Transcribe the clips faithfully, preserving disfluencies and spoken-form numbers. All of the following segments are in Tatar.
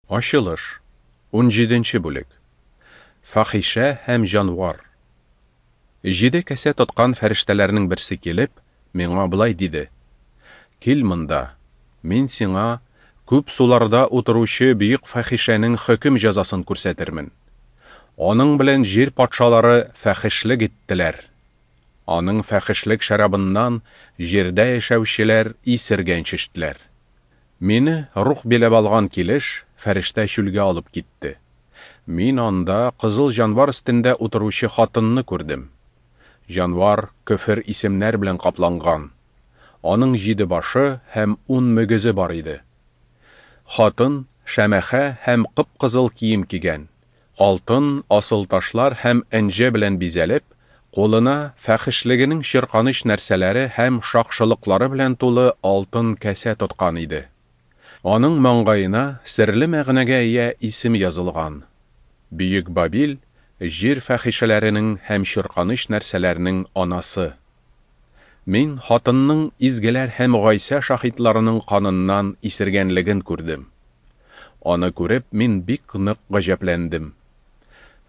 Ачылыш, унҗиденче бүлек. Фахишә һәм җанвар. Җиде касә тоткан фәрештәләрнең берсе килеп, миңа болай диде: Кил монда, мин сиңа күп суларда утыручы бөек фахишәнең хөкем җәзасын күрсәтермен. Аның белән җир патшалары фәхешлек иттеләр. Аның фәхешлек шәрабыннан җирдә яшәүчеләр исергәнче эчтеләр. Мине рух биләп алган килеш, фәрештә чүлгә алып китте. Мин анда кызыл җанвар өстендә утыручы хатынны күрдем. Җанвар көфер исемнәр белән капланган. Аның җиде башы һәм ун мөгезе бар иде. Хатын шәмәхә һәм кып-кызыл кием кигән, алтын, асыл ташлар һәм энҗе белән бизәлеп, кулына фәхешлегенең чирканыч нәрсәләре һәм шакшылыклары белән тулы алтын кәсә тоткан иде. Аның маңгаена серле мәгънәгә ия исем язылган: Бөек Бабил, җир фәхишәләренең һәм чирканыч нәрсәләрнең анасы. Мин хатынның изгеләр һәм Гайсә шаһитларының каныннан исергәнлеген күрдем. Аны күреп, мин бик нык гаҗәпләндем.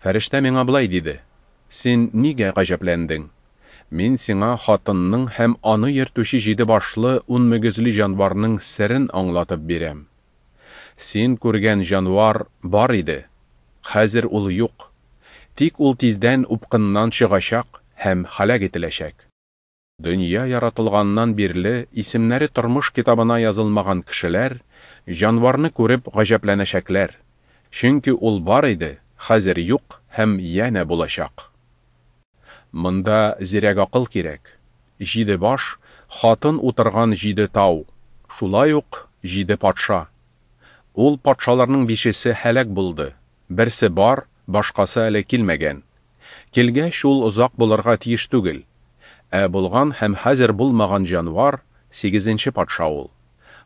Фәрештә миңа болай диде: Син нигә гаҗәпләндең? Мин сиңа хатынның һәм аны йөртүче җиде башлы ун мөгезле җанварның серен аңлатып бирәм. Син күргән җанвар бар иде, хәзер ул юк. Тик ул тиздән упкыннан чыгачак һәм һәлак ителәчәк. Дөнья яратылганнан бирле исемнәре тормыш китабына язылмаган кешеләр җанварны күреп гаҗәпләнәчәкләр, чөнки ул бар иде, хәзер юк һәм янә булачак. Монда зирәк акыл кирәк. Җиде баш, хатын утырган җиде тау, шулай ук җиде патша. Ул патшаларның бишесе һәлак булды, берсе бар, башкасы әле килмәгән. Килгәч, ул озак булырга тиеш түгел. Ә булган һәм хәзер булмаган җанвар сигезенче патша ул.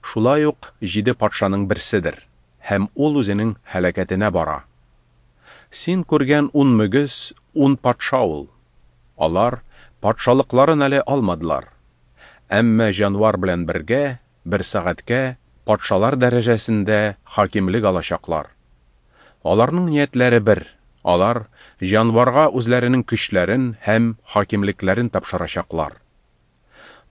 Шулай ук җиде патшаның берседер, һәм ул үзенең һәлакәтенә бара. Син күргән ун мөгез, ун патша ул. Алар патшалыкларын әле алмадылар. Әмма җанвар белән бергә бер сәгатькә патшалар дәрәҗәсендә хакимлек алачаклар. Аларның ниятләре бер, алар җанварга үзләренең көчләрен һәм хакимлекләрен тапшырачаклар.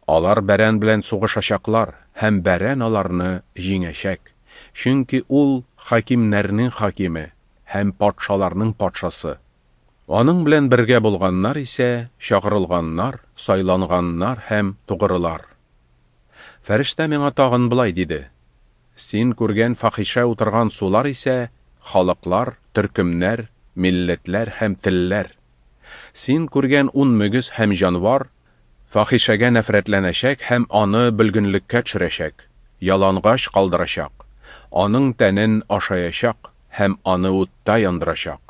Алар бәрән белән сугышачаклар һәм бәрән аларны җиңәчәк, чөнки ул хакимнәрнең хакиме һәм патшаларның патшасы. Аның белән бергә булганнар исә чакырылганнар, сайланганнар һәм тугрылар. Фәрештә миңа тагын болай диде: Син күргән фахишә утырган сулар исә халыклар, төркемнәр, милләтләр һәм телләр. Син күргән ун мөгез һәм җанвар фахишәгә нәфрәтләнәчәк һәм аны бөлгенлеккә төшерәчәк, ялангач калдырачак, аның тәнен ашаячак һәм аны утта яндырачак.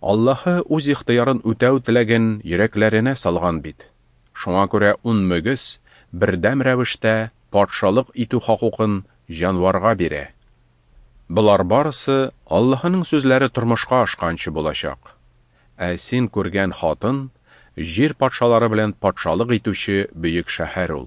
Аллаһы үз ихтыярын үтәү теләген йөрәкләренә салган бит. Шуңа күрә ун мөгез бердәм рәвештә патшалык итү хокукын җанварга бирә. Болар барысы Аллаһының сүзләре тормышка ашканчы булачак. Ә син күргән хатын җир патшалары белән патшалык итүче бөек шәһәр ул.